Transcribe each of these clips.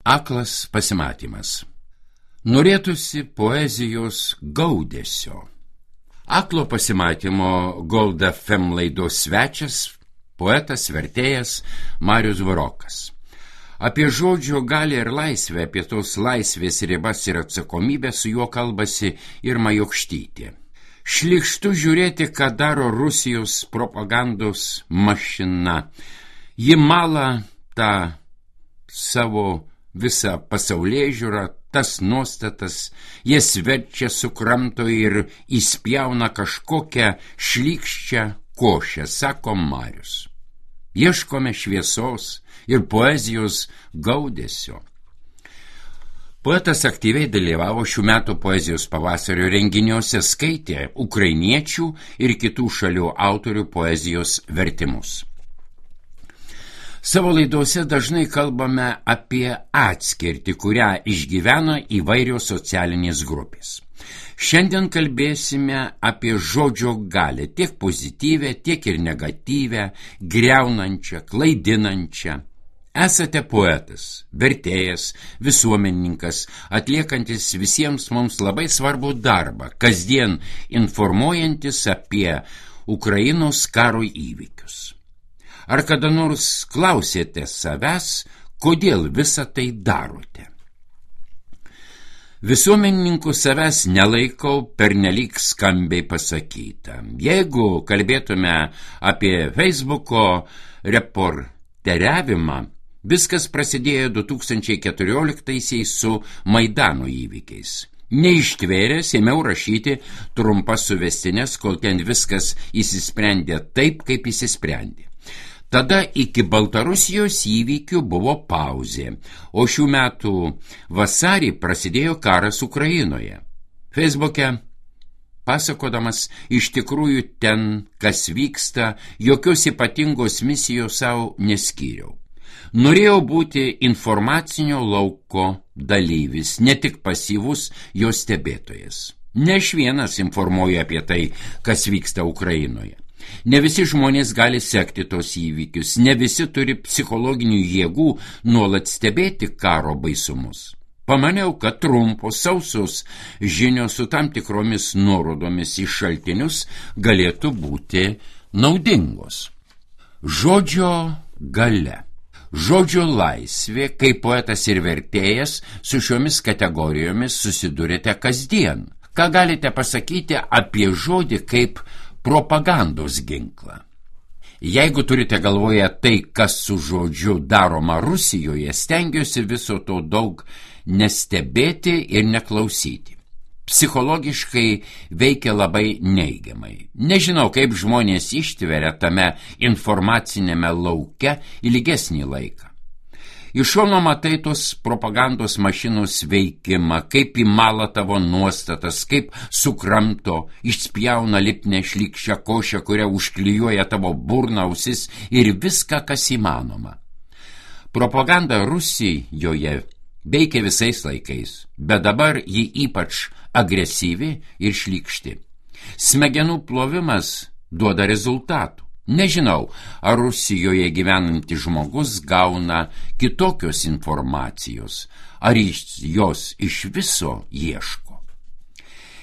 Aklas pasimatymas. Norėtųsi poezijos gaudesio. Aklo pasimatymo Gold FM laidos svečias, poetas, vertėjas Marius Burokas. Apie žodžio galią ir laisvę, apie tos laisvės ribas ir atsakomybę su juo kalbasi Irma Jokštytė. Šlykštu žiūrėti, ką daro Rusijos propagandos mašina. Ji mala tą savo visą pasaulėžiūrą, tas nuostatas, jas verčia, sukramto ir įspjauna kažkokią šlykščią košę, sako Marius. Ieškome šviesos ir poezijos gaudesio. Poetas aktyviai dalyvavo šių metų poezijos pavasario renginiuose, skaitė ukrainiečių ir kitų šalių autorių poezijos vertimus. Savo laidose dažnai kalbame apie atskirtį, kurią išgyvena įvairios socialinės grupės. Šiandien kalbėsime apie žodžio galią, tiek pozityvę, tiek ir negatyvę, griaunančią, klaidinančią. Esate poetas, vertėjas, visuomenininkas, atliekantis visiems mums labai svarbų darbą, kasdien informuojantis apie Ukrainos karo įvykius. Ar kada nors klausėte savęs, kodėl visą tai darote? Visuomenininku savęs nelaikau, pernelyg skambiai pasakyta. Jeigu kalbėtume apie Facebooko reporteriavimą, viskas prasidėjo 2014-aisiais su Maidano įvykiais. Neištvėręs ėmiau rašyti trumpas suvestines, kol ten viskas įsisprendė taip, kaip įsisprendė. Tada iki Baltarusijos įvykių buvo pauzė, o šių metų vasarį prasidėjo karas Ukrainoje. Facebook'e pasakodamas iš tikrųjų ten, kas vyksta, jokios ypatingos misijos savo neskyriau. Norėjau būti informacinio lauko dalyvis, ne tik pasyvus jo stebėtojas. Ne aš vienas informuoju apie tai, kas vyksta Ukrainoje. Ne visi žmonės gali sekti tos įvykius, ne visi turi psichologinių jėgų nuolat stebėti karo baisumus. Pamaniau, kad trumpos, sausos žinios su tam tikromis nuorodomis į šaltinius galėtų būti naudingos. Žodžio galia. Žodžio laisvė, kaip poetas ir vertėjas, su šiomis kategorijomis susidurite kasdien. Ką galite pasakyti apie žodį kaip propagandos ginklą? Jeigu turite galvoje tai, kas su žodžiu daroma Rusijoje, stengiuosi viso to daug nestebėti ir neklausyti. Psichologiškai veikia labai neigiamai. Nežinau, kaip žmonės ištveria tame informacinėme lauke ilgesnį laiką. Iš šono matai tos propagandos mašinos veikimą, kaip įmala tavo nuostatas, kaip sukramto, išspjauna lipnę šlykščią košę, kurią užklijuoja tavo burną, ausis ir viską, kas įmanoma. Propaganda Rusijoje veikia visais laikais, bet dabar ji ypač agresyvi ir šlykšti. Smegenų plovimas duoda rezultatų. Nežinau, ar Rusijoje gyvenantis žmogus gauna kitokios informacijos, ar jos iš viso ieško.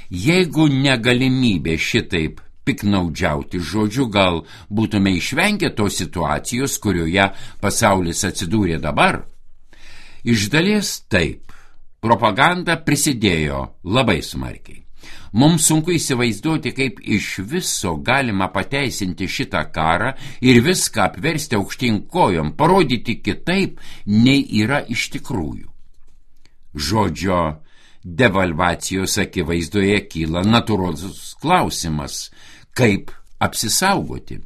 Jeigu negalimybė šitaip piknaudžiauti žodžiu, gal būtume išvengę tos situacijos, kurioje pasaulis atsidūrė dabar? Iš dalies taip. Propaganda prisidėjo labai smarkiai. Mums sunku įsivaizduoti, kaip iš viso galima pateisinti šitą karą ir viską apversti aukštyn kojom, parodyti kitaip, nei yra iš tikrųjų. Žodžio devalvacijos akivaizdoje kyla natūralus klausimas, kaip apsisaugoti.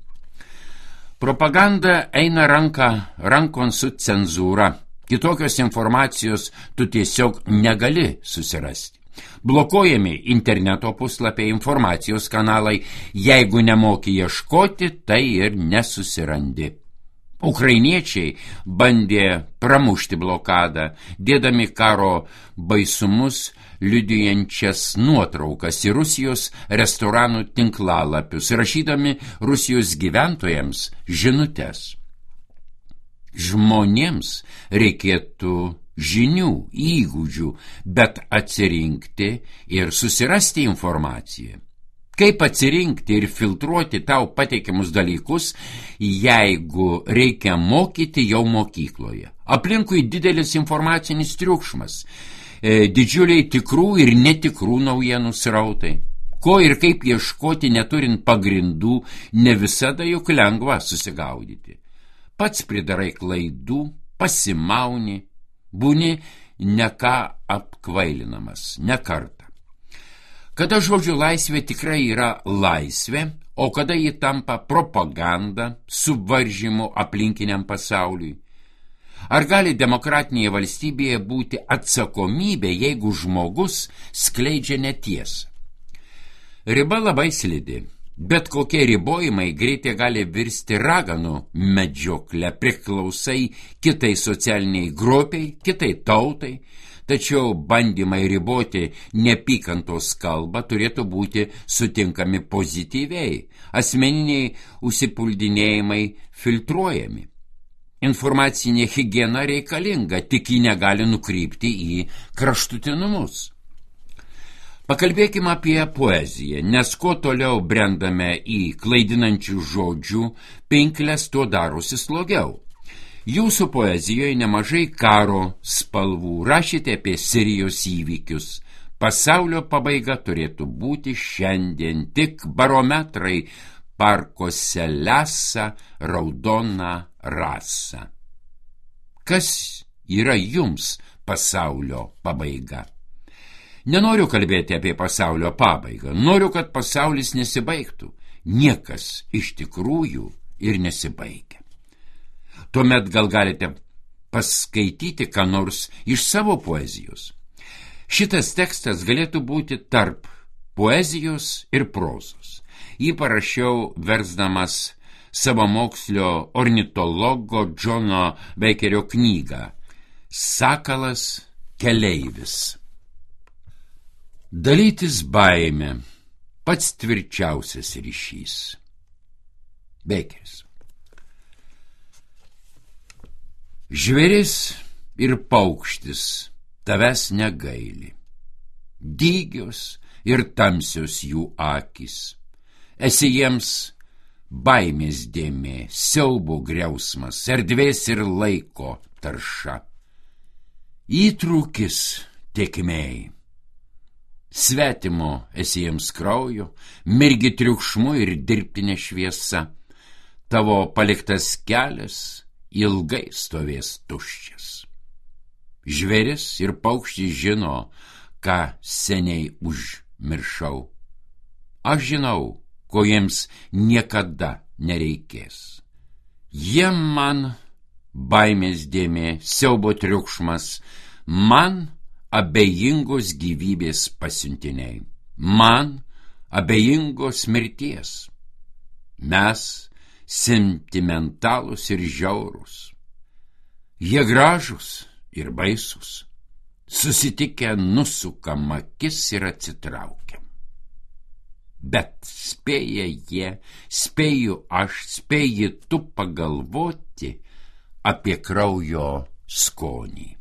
Propaganda eina rankon su cenzūra. Kitokios informacijos tu tiesiog negali susirasti. Blokuojami interneto puslapiai, informacijos kanalai, jeigu nemoki ieškoti, tai ir nesusirandi. Ukrainiečiai bandė pramušti blokadą, dėdami karo baisumus liudijančias nuotraukas į Rusijos restoranų tinklalapius, rašydami Rusijos gyventojams žinutes. Žmonėms reikėtų žinių, įgūdžių, bet atsirinkti ir susirasti informaciją. Kaip atsirinkti ir filtruoti tau pateikiamus dalykus, jeigu reikia mokyti jau mokykloje? Aplinkui didelis informacinis triukšmas, didžiuliai tikrų ir netikrų naujienų srautai. Ko ir kaip ieškoti neturint pagrindų, ne visada juk lengva susigaudyti. Pats pridarai klaidų, pasimauni, būni ne ką apkvailinamas, ne kartą. Kada žodžio laisvė tikrai yra laisvė, o kada ji tampa propaganda, suvaržymu aplinkiniam pasauliui? Ar gali demokratinėje valstybėje būti atsakomybė, jeigu žmogus skleidžia netiesą? Riba labai slidi. Bet kokie ribojimai greitai gali virsti raganų medžioklę, priklausai kitai socialiniai grupiai, kitai tautai, tačiau bandymai riboti neapykantos kalbą turėtų būti sutinkami pozityviai, asmeniniai užsipuldinėjimai filtruojami. Informacinė higiena reikalinga, tik ji negali nukrypti į kraštutinumus. Pakalbėkime apie poeziją, nes kuo toliau brendame į klaidinančių žodžių pinkles, tuo darosi slogiau. Jūsų poezijoje nemažai karo spalvų, rašėte apie Sirijos įvykius. Pasaulio pabaiga turėtų būti šiandien, tik barometrai parkuose lesa raudoną rasą. Kas yra jums pasaulio pabaiga? Nenoriu kalbėti apie pasaulio pabaigą, noriu, kad pasaulis nesibaigtų. Niekas iš tikrųjų ir nesibaigia. Tuomet gal galite paskaityti ką nors iš savo poezijos. Šitas tekstas galėtų būti tarp poezijos ir prozos. Jį parašiau versdamas savamokslio ornitologo Džono Beikerio knygą Sakalas keleivis. Dalytis baimė, pats tvirčiausias ryšys. Beikeris. Žvėris ir paukštis tavęs negaili. Dygios ir tamsios jų akys. Esi jiems baimės dėmė, siaubo griausmas, erdvės ir laiko tarša. Įtrūkis tėkmėj. Svetimo esi jiems kraujo, mirgi triukšmu ir dirbtinė šviesa. Tavo paliktas kelias ilgai stovės tuščias. Žvėris ir paukštis žino, ką seniai užmiršau. Aš žinau, ko jiems niekada nereikės. Jie man baimės dėmė, siaubo triukšmas, man abejingos gyvybės pasiuntiniai, man abejingos mirties. Mes sentimentalūs ir žiaurūs. Jie gražūs ir baisūs. Susitikę nusukam akis ir atsitraukiam. Bet spėja jie, spėju aš, spėji tu pagalvoti apie kraujo skonį.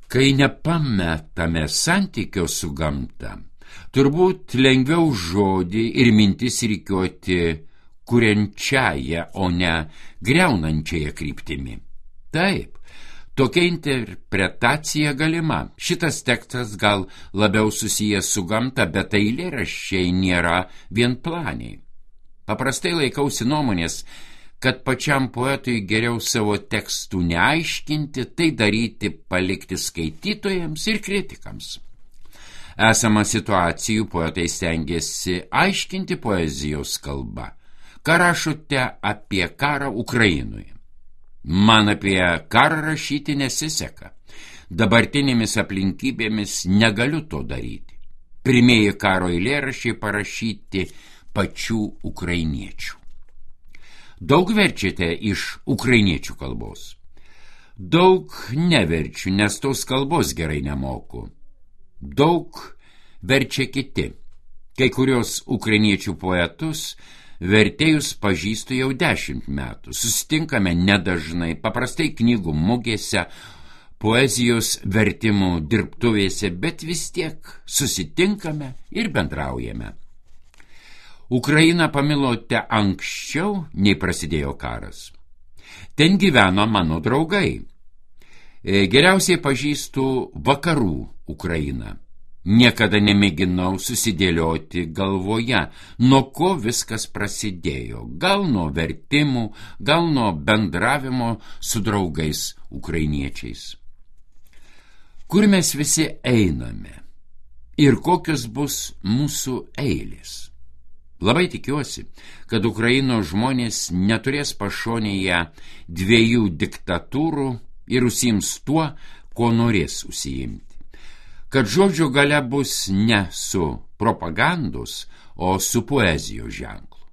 Kai nepametame santykio su gamta, turbūt lengviau žodį ir mintis rikiuoti kuriančiąją, o ne griaunančiąją kryptimi. Taip, tokia interpretacija galima. Šitas tekstas gal labiau susijęs su gamta, bet eilėraščiai nėra vienplaniai. Paprastai laikausi nuomonės, kad pačiam poetui geriau savo tekstų neaiškinti, tai daryti palikti skaitytojams ir kritikams. Esama situacijų poetai stengiasi aiškinti poezijos kalba. Ką rašote apie karą Ukrainoje? Man apie karą rašyti nesiseka. Dabartinėmis aplinkybėmis negaliu to daryti. Pirmieji karo eilėraščiai parašyti pačių ukrainiečių. Daug verčiate iš ukrainiečių kalbos. Daug neverčiu, nes tos kalbos gerai nemoku. Daug verčia kiti. Kai kurios ukrainiečių poetus Vertėjus pažįstu jau 10 metų. Susitinkame nedažnai, paprastai knygų mugėse, poezijos vertimų dirbtuvėse, bet vis tiek susitinkame ir bendraujame. Ukrainą pamilote anksčiau, nei prasidėjo karas. Ten gyveno mano draugai. Geriausiai pažįstu vakarų Ukrainą. Niekada nemėginau susidėlioti galvoje, nuo ko viskas prasidėjo. Gal nuo vertimų, gal nuo bendravimo su draugais ukrainiečiais. Kur mes visi einame ir kokios bus mūsų eilės? Labai tikiuosi, kad Ukrainos žmonės neturės pašonėje 2 diktatūrų ir užsiims tuo, ko norės užsiimti. Kad žodžio galia bus ne su propagandos, o su poezijos ženklu.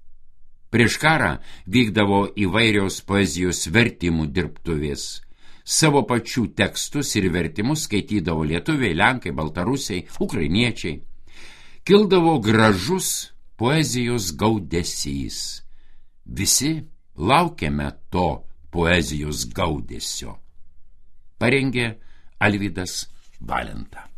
Prieš karą vykdavo įvairios poezijos vertimų dirbtuvės. Savo pačių tekstus ir vertimus skaitydavo lietuviai, lenkai, baltarusiai, ukrainiečiai. Kildavo gražus poezijos gaudesys. Visi laukiame to poezijos gaudesio. Parengė Alvydas Valenta.